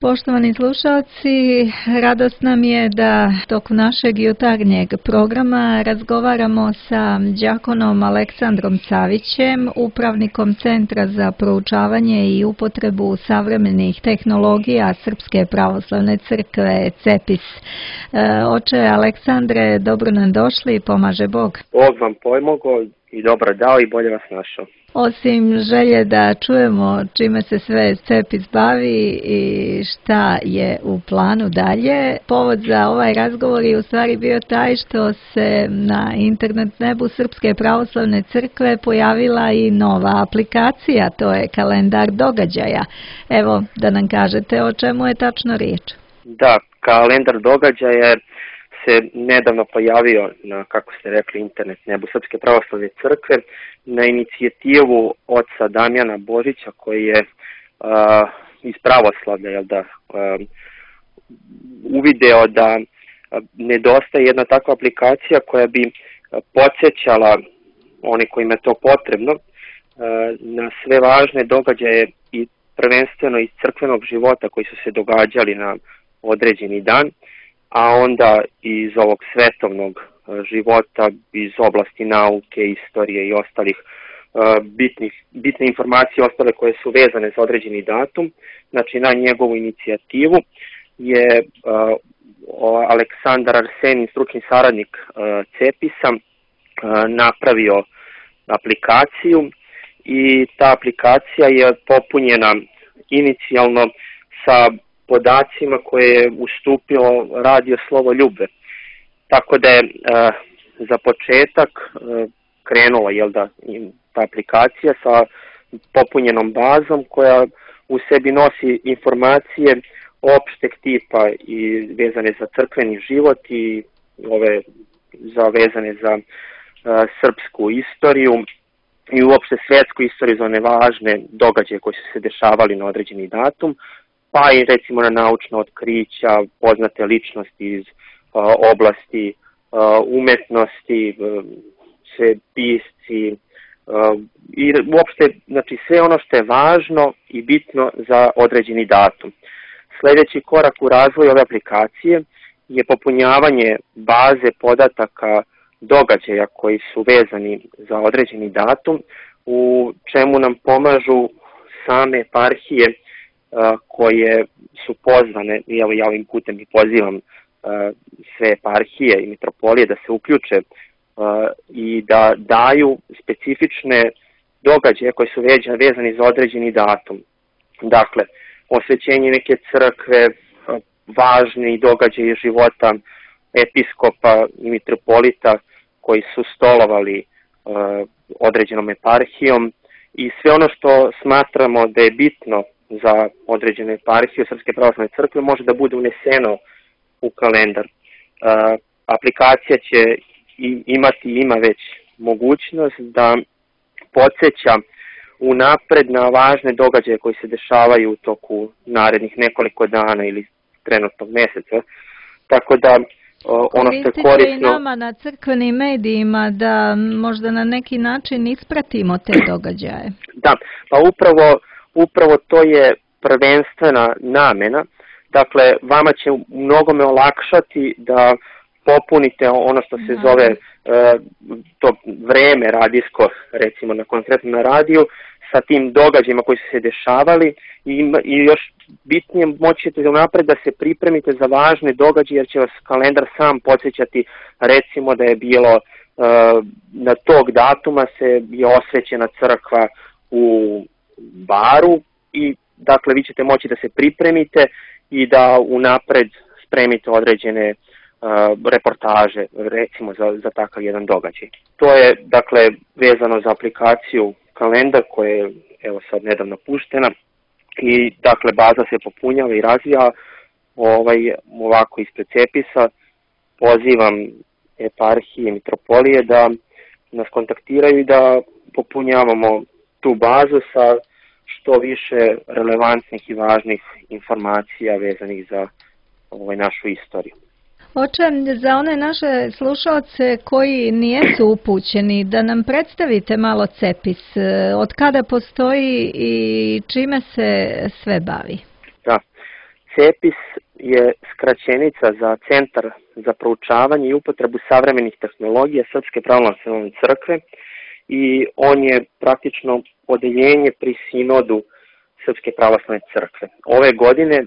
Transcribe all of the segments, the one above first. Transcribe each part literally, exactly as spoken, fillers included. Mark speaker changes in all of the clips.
Speaker 1: Poštovani slušalci, radost nam je da tokom našeg jutarnjeg programa razgovaramo sa đakonom Aleksandrom Savićem, upravnikom Centra za proučavanje i upotrebu savremenih tehnologija Srpske pravoslavne crkve CEPIS. Oče Aleksandre, dobro nam došli, pomaže Bog.
Speaker 2: Bog vam pomogao i dobro dao i bolje vas našao.
Speaker 1: Osim želje da čujemo čime se sve CEPIS bavi i šta je u planu dalje, povod za ovaj razgovor je u stvari bio taj što se na internet nebu Srpske pravoslavne crkve pojavila i nova aplikacija, to je kalendar događaja. Evo, da nam kažete o čemu je tačno riječ.
Speaker 2: Da, kalendar događaja se nedavno pojavio na, kako ste rekli, internet nebu Srpske pravoslavne crkve na inicijativu oca Damjana Božića koji je uh, iz pravoslavlja jel da, uh, uvideo da nedostaje jedna takva aplikacija koja bi podsjećala one kojima je to potrebno uh, na sve važne događaje i prvenstveno iz crkvenog života koji su se događali na određeni dan, a onda iz ovog svetovnog života, iz oblasti nauke, istorije i ostalih uh, bitnih, bitne informacije ostale koje su vezane za određeni datum. Znači, na njegovu inicijativu je uh, Aleksandar Arsenin, stručni saradnik uh, CEPIS-a, uh, napravio aplikaciju i ta aplikacija je popunjena inicijalno sa podacima koje je ustupio radio Slovo Ljube. Tako da je e, za početak e, krenula jel da, ta aplikacija sa popunjenom bazom koja u sebi nosi informacije opšteg tipa i vezane za crkveni život i ove za vezane za e, srpsku istoriju i uopšte svetsku istoriju za one važne događaje koji su se dešavali na određeni datum, pa i recimo na naučna otkrića, poznate ličnosti iz uh, oblasti uh, umetnosti, uh, sve pisci uh, i uopšte znači, sve ono što je važno i bitno za određeni datum. Sljedeći korak u razvoju ove aplikacije je popunjavanje baze podataka događaja koji su vezani za određeni datum, u čemu nam pomažu same eparhije koje su pozvane, i evo ja ovim putem i pozivam uh, sve eparhije i mitropolije da se uključe uh, i da daju specifične događaje koji su vezani za određeni datum. Dakle, osvećenje neke crkve, uh, važni događaji života episkopa i mitropolita koji su stolovali uh, određenom eparhijom i sve ono što smatramo da je bitno za određenu eparhiju Srpske pravoslavne crkve može da bude uneseno u kalendar. Uh, aplikacija će i, imati ima već mogućnost da podsjeća unapred na važne događaje koji se dešavaju u toku narednih nekoliko dana ili trenutnog meseca. Tako da uh, ono što je korisno...
Speaker 1: i nama na crkvenim medijima da možda na neki način ispratimo te događaje.
Speaker 2: Da, pa upravo Upravo to je prvenstvena namena, dakle vama će mnogome olakšati da popunite ono što se zove e, to vreme radijsko, recimo na konkretno na radiju, sa tim događajima koji su se dešavali i, i još bitnije moći ćete unapred da se pripremite za važne događaje jer će vas kalendar sam podsjećati recimo da je bilo e, na tog datuma se je osvećena crkva u Baru i dakle vi ćete moći da se pripremite i da unapred spremite određene uh, reportaže recimo za, za takav jedan događaj. To je dakle vezano za aplikaciju kalendar koja je evo sad nedavno puštena i dakle baza se popunjava i razvija ovaj, ovako ispred CEPIS-a. Pozivam eparhije i mitropolije da nas kontaktiraju i da popunjavamo tu bazu sa što više relevantnih i važnih informacija vezanih za ovaj, našu istoriju.
Speaker 1: Oče, za one naše slušalce koji nijesu upućeni, da nam predstavite malo CEPIS, od kada postoji i čime se sve bavi?
Speaker 2: Da, CEPIS je skraćenica za Centar za proučavanje i upotrebu savremenih tehnologija Srpske pravoslavne crkve i on je praktično odeljenje pri sinodu Srpske pravoslavne crkve. Ove godine uh,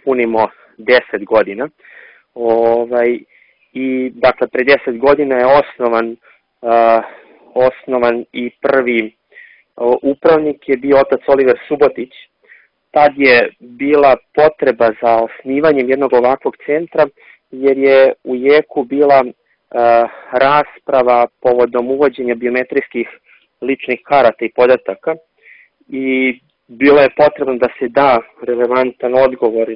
Speaker 2: punimo deset godina ovaj, i dakle pre deset godina je osnovan, uh, osnovan i prvi uh, upravnik je bio otac Oliver Subotić. Tad je bila potreba za osnivanjem jednog ovakvog centra, jer je u jeku bila uh, rasprava povodom uvođenja biometrijskih ličnih karata i podataka i bilo je potrebno da se da relevantan odgovor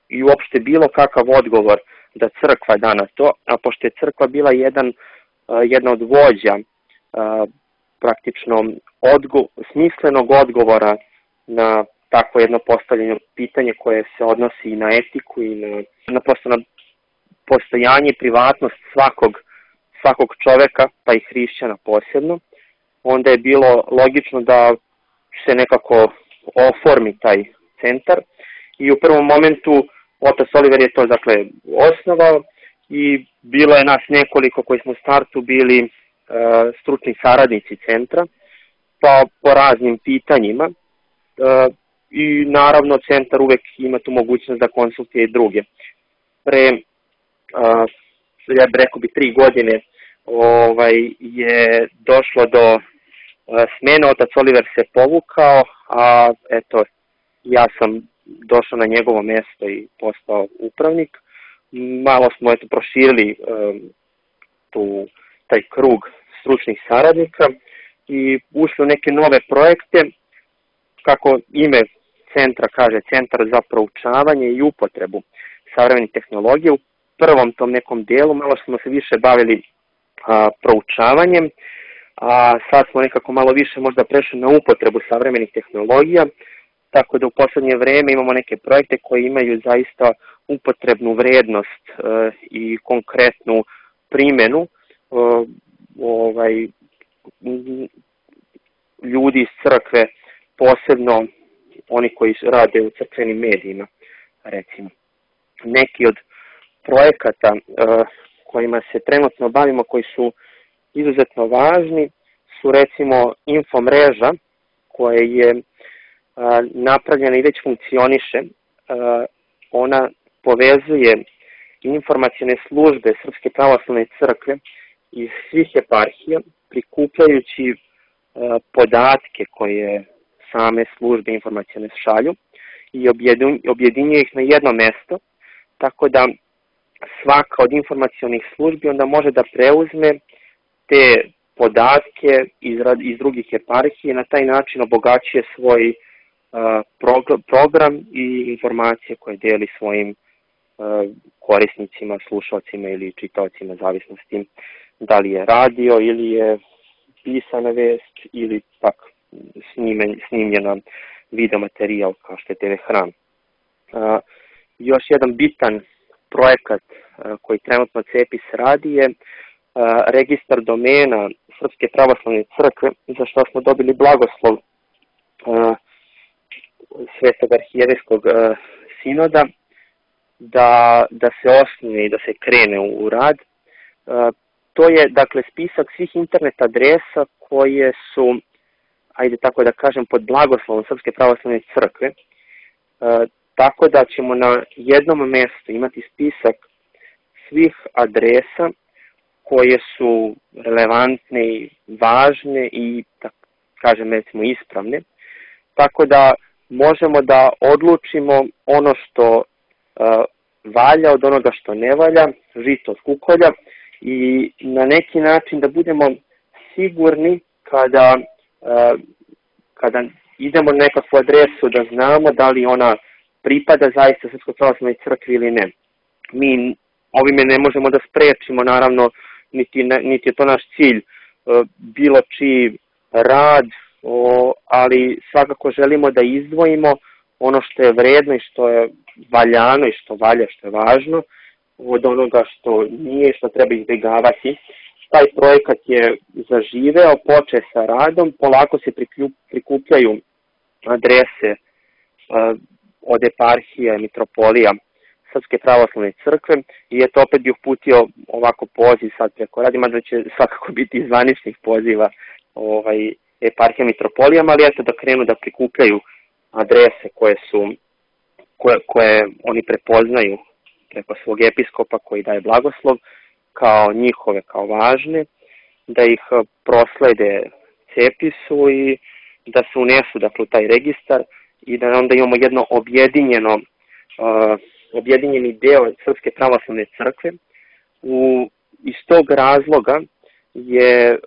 Speaker 2: i uopšte bilo kakav odgovor da crkva da na to, a pošto je crkva bila jedan, uh, jedna od vođa uh, praktično odgo smislenog odgovora na takvo jedno postavljeno pitanje koje se odnosi i na etiku i na, na, na postojanje i privatnost svakog, svakog čoveka, pa i hrišćana posebno, onda je bilo logično da se nekako oformi taj centar i u prvom momentu otac Oliver je to dakle osnovao i bilo je nas nekoliko koji smo u startu bili uh, stručni saradnici centra, pa po raznim pitanjima. Uh, I naravno centar uvek ima tu mogućnost da konsultuje i druge. Pre, uh, ja bih rekao bi tri godine, ovaj, je došlo do uh, smene, otac Oliver se povukao, a eto, ja sam došao na njegovo mesto i postao upravnik. Malo smo eto proširili um, tu, taj krug stručnih saradnika i ušli u neke nove projekte, kako ime centra kaže, Centar za proučavanje i upotrebu savremenih tehnologija. U prvom tom nekom dijelu malo smo se više bavili a, proučavanjem, a sad smo nekako malo više možda prešli na upotrebu savremenih tehnologija, tako da u poslednje vreme imamo neke projekte koji imaju zaista upotrebnu vrednost e, i konkretnu primjenu e, ovaj, ljudi iz crkve, posebno oni koji rade u crkvenim medijima, recimo. Neki od projekata uh, kojima se trenutno bavimo, koji su izuzetno važni, su recimo infomreža koja je uh, napravljena i već funkcioniše. Uh, ona povezuje informacione službe Srpske pravoslavne crkve iz svih eparhija, prikupljajući uh, podatke koje same službe informacione šalju i objedinjuje ih na jedno mesto, tako da svaka od informacionih službi onda može da preuzme te podatke iz, iz drugih eparhije i na taj način obogaćuje svoj uh, program i informacije koje deli svojim uh, korisnicima, slušalcima ili čitaocima, zavisnosti da li je radio ili je pisana vest ili pak snimljena video materijal kao što je te ve Hram. Uh, još jedan bitan projekat uh, koji trenutno CEPIS radi je uh, registar domena Srpske pravoslavne crkve, za što smo dobili blagoslov uh, Svetog arhijevejskog uh, sinoda da, da se osnuje i da se krene u, u rad. Uh, to je dakle spisak svih internet adresa koje su, ajde tako da kažem, pod blagoslovom Srpske pravoslavne crkve, e, tako da ćemo na jednom mjestu imati spisak svih adresa koje su relevantne i važne i, da kažem, recimo ispravne, tako da možemo da odlučimo ono što e, valja od onoga što ne valja, žito od kukolja, i na neki način da budemo sigurni kada kada idemo na nekakvu adresu da znamo da li ona pripada zaista Srpskoj pravoslavnoj crkvi ili ne. Mi ovime ne možemo da sprečimo, naravno, niti, niti je to naš cilj, bilo čiji rad, ali svakako želimo da izdvojimo ono što je vredno i što je valjano i što valja, što je važno, od onoga što nije, što treba izbjegavati. Taj projekat je zaživeo, počeo sa radom, polako se prikupljaju adrese uh, od eparhija i mitropolija Srpske pravoslavne crkve i eto opet bih uputio ovako poziv sad preko radi, mada će svakako biti iz zvaničnih poziva ovaj, eparhija mitropolijama, ali eto da krenu da prikupljaju adrese koje su koje, koje oni prepoznaju preko svog episkopa koji daje blagoslov kao njihove, kao važne, da ih proslede Cepisu i da se unesu dakle, u taj registar i da onda imamo jedno objedinjeno uh, objedinjeni deo Srpske pravoslavne crkve. U, iz tog razloga je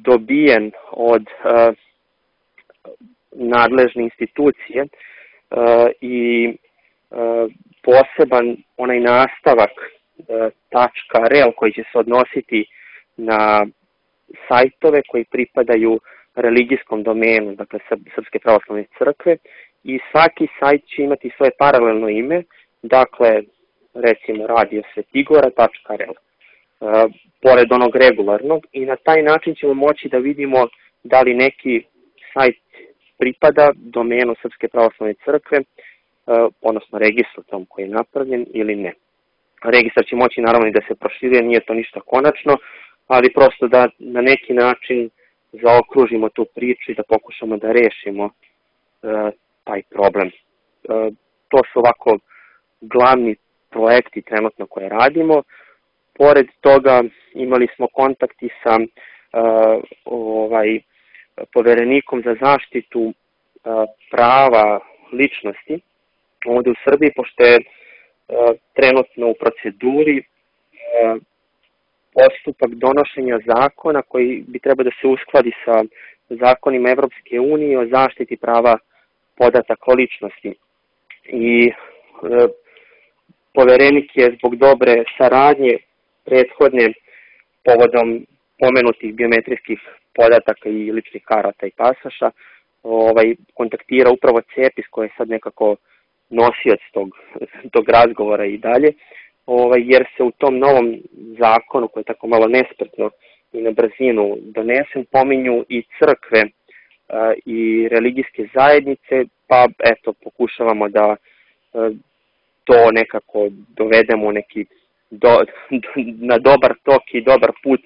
Speaker 2: dobijen od uh, nadležne institucije uh, i uh, poseban onaj nastavak uh, .rel koji će se odnositi na sajtove koji pripadaju religijskom domenu, dakle Srpske pravoslavne crkve, i svaki sajt će imati svoje paralelno ime, dakle recimo radio svetigora.rel, uh, pored onog regularnog, i na taj način ćemo moći da vidimo da li neki sajt pripada domenu Srpske pravoslavne crkve, uh, odnosno registru tom koji je napravljen ili ne. Registar će moći naravno i da se proširuje, nije to ništa konačno, ali prosto da na neki način zaokružimo tu priču i da pokušamo da rešimo uh, taj problem. Uh, to su ovako glavni projekti trenutno koje radimo. Pored toga imali smo kontakti sa uh, ovaj, poverenikom za zaštitu uh, prava ličnosti ovde u Srbiji, pošto je uh, trenutno u proceduri uh, postupak donošenja zakona koji bi trebao da se uskladi sa zakonima Evropske unije o zaštiti prava podataka o ličnosti. I e, poverenik je zbog dobre saradnje prethodne povodom pomenutih biometrijskih podataka i ličnih karata i pasaša ovaj, kontaktira upravo Cepis koji je sad nekako nosioc tog, tog razgovora i dalje. Ovaj, jer se u tom novom zakonu, koji je tako malo nespretno i na brzinu donesen, pominju i crkve a, i religijske zajednice, pa eto, pokušavamo da a, to nekako dovedemo neki do, do, na dobar tok i dobar put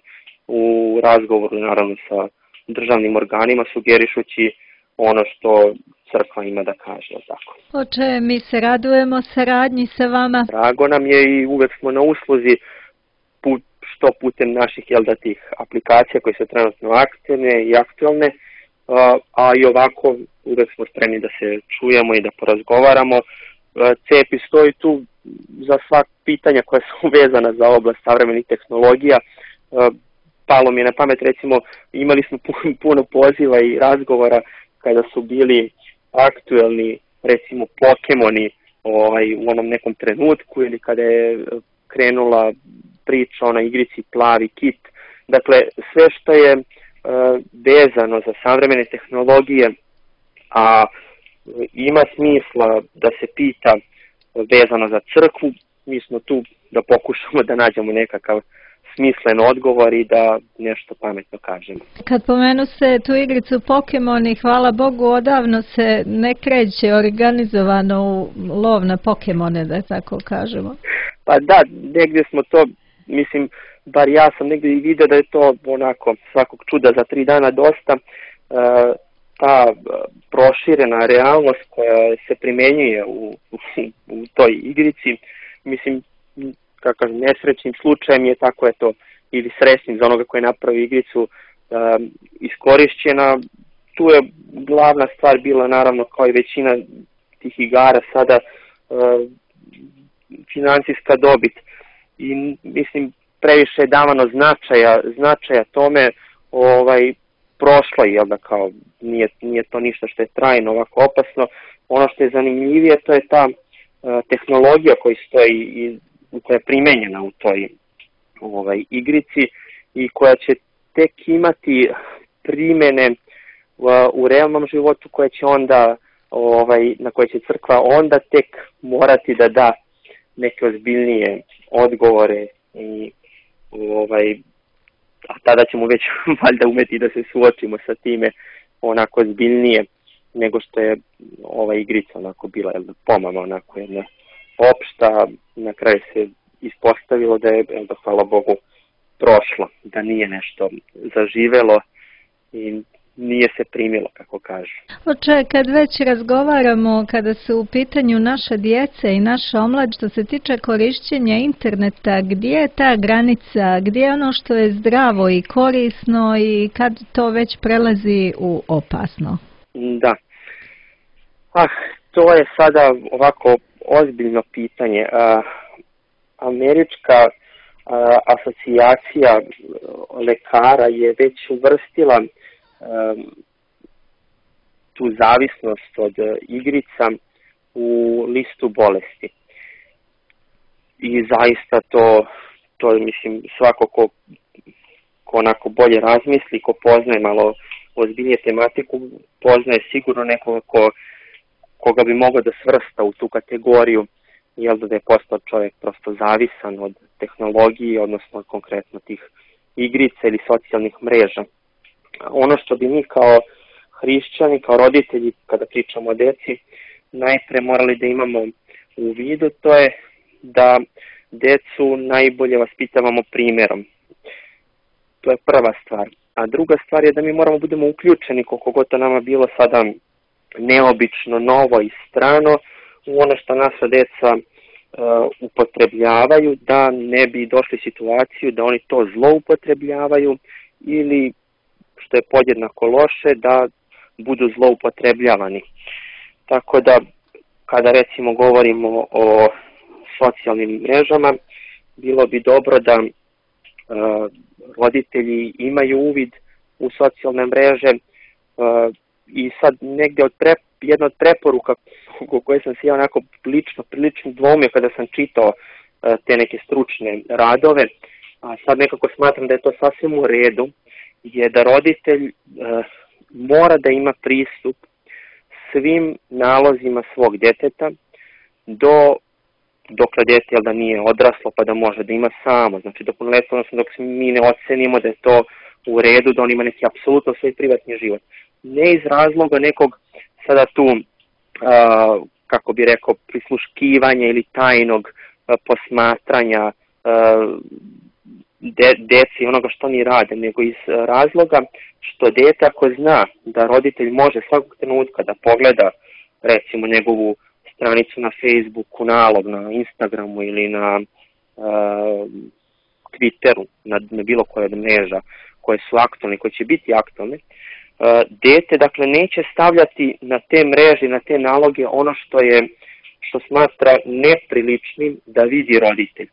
Speaker 2: u razgovoru, naravno, sa državnim organima, sugerišući ono što crkva ima da kaže, tako.
Speaker 1: Oče, mi se radujemo saradnji sa vama.
Speaker 2: Drago nam je i uvek smo na usluzi put, što putem naših jel da tih aplikacija koje su trenutno aktivne i aktualne, a, a i ovako uvek smo spremni da se čujemo i da porazgovaramo. Cepis stoji tu za svak pitanja koja su vezana za oblast savremenih tehnologija. Palo mi je na pamet, recimo, imali smo puno poziva i razgovora kada su bili aktuelni, recimo, Pokemoni ovaj, u onom nekom trenutku ili kada je krenula priča o na igrici Plavi kit. Dakle, sve što je uh, vezano za savremene tehnologije, a ima smisla da se pita vezano za crkvu, mi smo tu da pokušamo da nađemo nekakav smislen odgovor i da nešto pametno kažemo.
Speaker 1: Kad pomenu se tu igricu Pokemoni, hvala Bogu, odavno se ne kreće organizovano u lov na Pokemone, da tako kažemo.
Speaker 2: Pa da, negdje smo to, mislim, bar ja sam negdje i vidio da je to onako svakog čuda za tri dana dosta, e, ta proširena realnost koja se primenjuje u, u, u toj igrici, mislim, kakav nesrećnim slučajem je tako eto, ili srećnim za onoga koji je napravio igricu um, iskorišćena. Tu je glavna stvar bila naravno kao i većina tih igara sada uh, financijska dobit i mislim previše je davano značaja, značaja tome ovaj, prošlo je, jel da kao nije, nije to ništa što je trajno ovako opasno. Ono što je zanimljivije to je ta uh, tehnologija koja stoji i koja je primenjena u toj ovaj, igrici i koja će tek imati primene u, u realnom životu koje će onda, ovaj, na koje će crkva onda tek morati da da neke ozbiljnije odgovore i ovaj, a tada ćemo već valjda umeti da se suočimo sa time onako ozbiljnije. nego što je ova igrica onako bila jel, pomama onako jedna opšta. Na kraju se ispostavilo da je, jel, da hvala Bogu, prošlo, da nije nešto zaživelo i nije se primilo, kako kažu.
Speaker 1: Oče, kad već razgovaramo, kada su u pitanju naša djeca i naša omlad, što se tiče korišćenja interneta, gdje je ta granica, gdje je ono što je zdravo i korisno i kad to već prelazi u opasno?
Speaker 2: Da. Ah, to je sada ovako ozbiljno pitanje. Uh, američka uh, asocijacija lekara je već uvrstila um, tu zavisnost od uh, igrica u listu bolesti. I zaista to, to mislim, svako ko, ko onako bolje razmisli, ko poznaje malo ozbiljnije tematiku, poznaje sigurno nekoga ko, koga bi mogao da svrsta u tu kategoriju, jel da je postao čovjek prosto zavisan od tehnologije, odnosno konkretno tih igrica ili socijalnih mreža. Ono što bi mi kao hrišćani, kao roditelji, kada pričamo o deci, najpre morali da imamo u vidu, to je da decu najbolje vaspitavamo primjerom. To je prva stvar. A druga stvar je da mi moramo budemo uključeni, koliko god to nama bilo sada neobično, novo i strano, u ono što naša deca uh, upotrebljavaju, da ne bi došli u situaciju da oni to zloupotrebljavaju ili, što je podjednako loše, da budu zloupotrebljavani. Tako da, kada recimo govorimo o socijalnim mrežama, bilo bi dobro da uh, roditelji imaju uvid u socijalne mreže uh, i sad negdje od pre, jedna od preporuka koje sam se ja onako lično, prilično dvomio kada sam čitao uh, te neke stručne radove, a sad nekako smatram da je to sasvim u redu, je da roditelj uh, mora da ima pristup svim nalozima svog djeteta do dokle dete jel da nije odraslo pa da može da ima samo, znači do punoljetstva, odnosno dok mi ne ocenimo da je to u redu, da on ima neki apsolutno svoj privatni život. Ne iz razloga nekog sada tu, uh, kako bi rekao, prisluškivanja ili tajnog uh, posmatranja uh, de, deci onoga što oni rade, nego iz uh, razloga što dete ako zna da roditelj može svakog trenutka da pogleda recimo njegovu stranicu na Facebooku, nalog na Instagramu ili na uh, Twitteru, na, na bilo koje od mreža koje su aktualne, koje će biti aktualne, uh, dete dakle neće stavljati na te mreže, na te naloge ono što je, što smatra nepriličnim da vidi roditelj.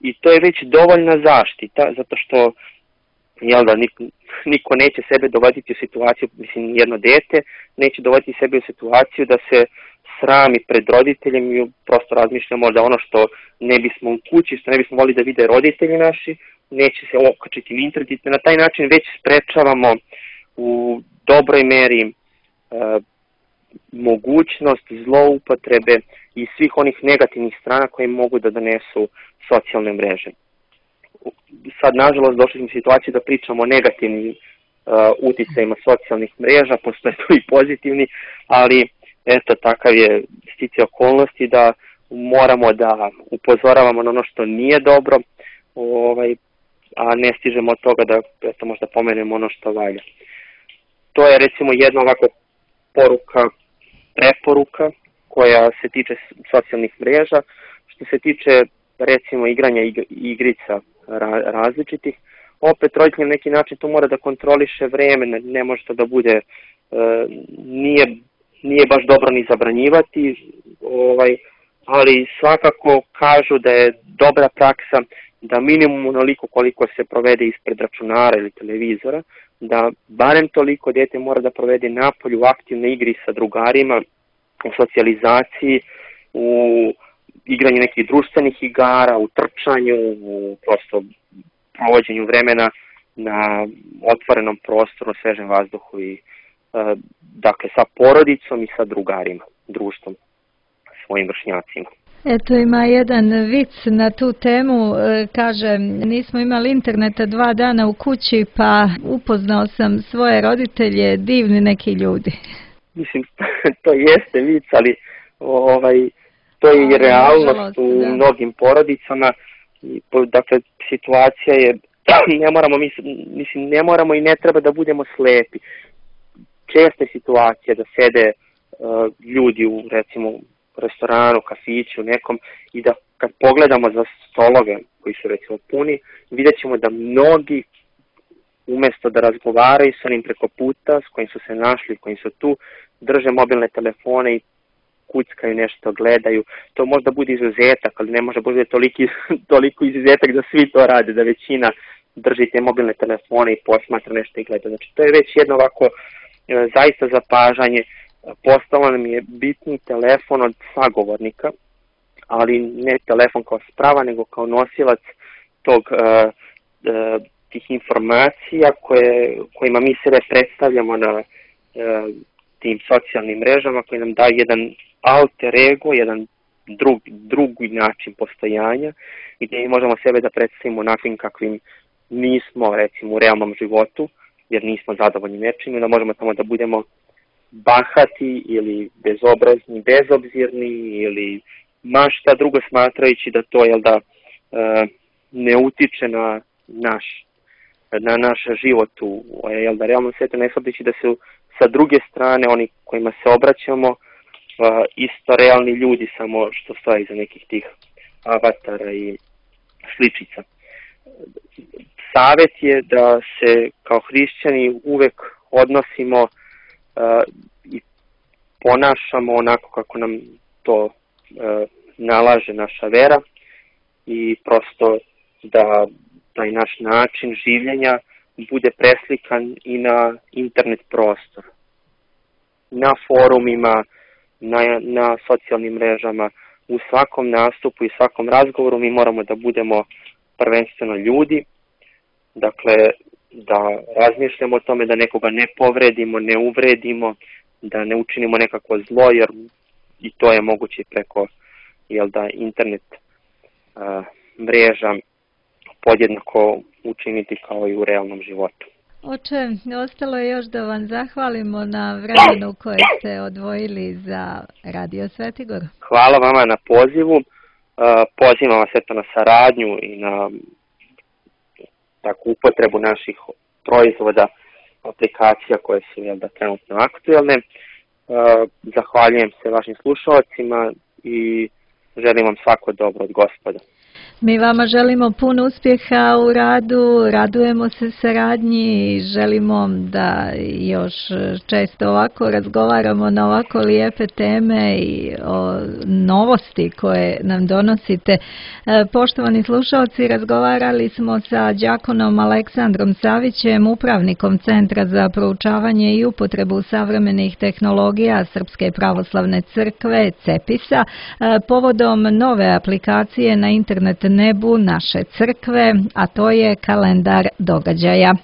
Speaker 2: I to je već dovoljna zaštita, zato što jel da, niko, niko neće sebe dovoditi u situaciju, mislim jedno dete neće dovoditi sebe u situaciju da se srami pred roditeljem i prosto razmišljamo da ono što ne bismo u kući, što ne bismo volili da vide roditelji naši, neće se okačiti u internet. Na taj način već sprečavamo u dobroj meri e, mogućnost zloupotrebe i svih onih negativnih strana koje mogu da donesu socijalne mreže. Sad, nažalost, došli smo u situaciju da pričamo o negativnim uh, uticajima socijalnih mreža, postoje tu i pozitivni, ali eto, takav je sticaj okolnosti da moramo da upozoravamo na ono što nije dobro, ovaj, a ne stižemo od toga da eto, možda pomenemo ono što valja. To je recimo jedna ovako poruka, preporuka koja se tiče socijalnih mreža. Što se tiče recimo igranja igrica različitih, opet roditelj na neki način to mora da kontroliše vreme, ne, ne može to da bude, e, nije, nije baš dobro ni zabranjivati, ovaj, ali svakako kažu da je dobra praksa da minimum onoliko koliko se provede ispred računara ili televizora, da barem toliko dete mora da provede napolju u aktivnoj igri sa drugarima, u socijalizaciji, u igranju nekih društvenih igara, u trčanju, u prosto provođenju vremena na otvorenom prostoru, svežem vazduhu i dakle sa porodicom i sa drugarima, društvom, svojim vršnjacima.
Speaker 1: Eto, ima jedan vic na tu temu, kaže, nismo imali interneta dva dana u kući, pa upoznao sam svoje roditelje, divni neki ljudi.
Speaker 2: mislim, to jeste vic, ali ovaj, to je i realnost u mnogim porodicama. I, dakle, situacija je, ne moramo, mislim, ne moramo i ne treba da budemo slepi. Česta je situacija da sede uh, ljudi u, recimo, restoranu, kafiću, nekom, i da kad pogledamo za stolove koji su, recimo, puni, vidjet ćemo da mnogi, umjesto da razgovaraju sa onim preko puta s kojim su se našli, kojim su tu, drže mobilne telefone i kuckaju nešto, gledaju. To možda bude izuzetak, ali ne može bude toliki, toliko izuzetak da svi to rade, da većina drži te mobilne telefone i posmatra nešto i gleda. Znači, to je već jedno ovako e, zaista zapažanje. Postalo nam je bitni telefon od sagovornika, ali ne telefon kao sprava, nego kao nosilac tog, e, e, tih informacija koje, kojima mi sebe predstavljamo na e, tim socijalnim mrežama, koji nam daju jedan alter ego, jedan drug, drugi način postojanja, gdje mi možemo sebe da predstavimo onakvim kakvim nismo, recimo, u realnom životu, jer nismo zadovoljni nečim, da možemo tamo da budemo bahati ili bezobrazni, bezobzirni ili ma šta drugo, smatrajući da to, jel da, ne utiče na naš, na naš život u, jel da, realnom svijetu, ne shvatajući da su sa druge strane oni kojima se obraćamo isto realni ljudi, samo što stoji iza nekih tih avatara i sličica. Savjet je da se kao hrišćani uvek odnosimo uh, i ponašamo onako kako nam to uh, nalaže naša vera i prosto da taj naš način življenja bude preslikan i na internet prostor. Na forumima, na, na socijalnim mrežama, u svakom nastupu i svakom razgovoru mi moramo da budemo prvenstveno ljudi, dakle da razmišljamo o tome da nekoga ne povredimo, ne uvredimo, da ne učinimo nekako zlo, jer i to je moguće preko, jel da, internet a, mreža podjednako učiniti kao i u realnom životu.
Speaker 1: Oče, ostalo je još da vam zahvalimo na vremenu koje ste odvojili za Radio Svetigor.
Speaker 2: Hvala vama na pozivu. Pozivam vas eto na saradnju i na takvu upotrebu naših proizvoda, aplikacija koje su, jel da, trenutno aktuelne. Zahvaljujem se vašim slušalcima i želim vam svako dobro od Gospoda.
Speaker 1: Mi vama želimo puno uspjeha u radu, radujemo se saradnji i želimo da još često ovako razgovaramo na ovako lijepe teme i o novosti koje nam donosite. Poštovani slušalci, razgovarali smo sa đakonom Aleksandrom Savićem, upravnikom Centra za proučavanje i upotrebu savremenih tehnologija Srpske pravoslavne crkve CEPIS-a povodom nove aplikacije na internet nebu naše crkve, a to je kalendar događaja.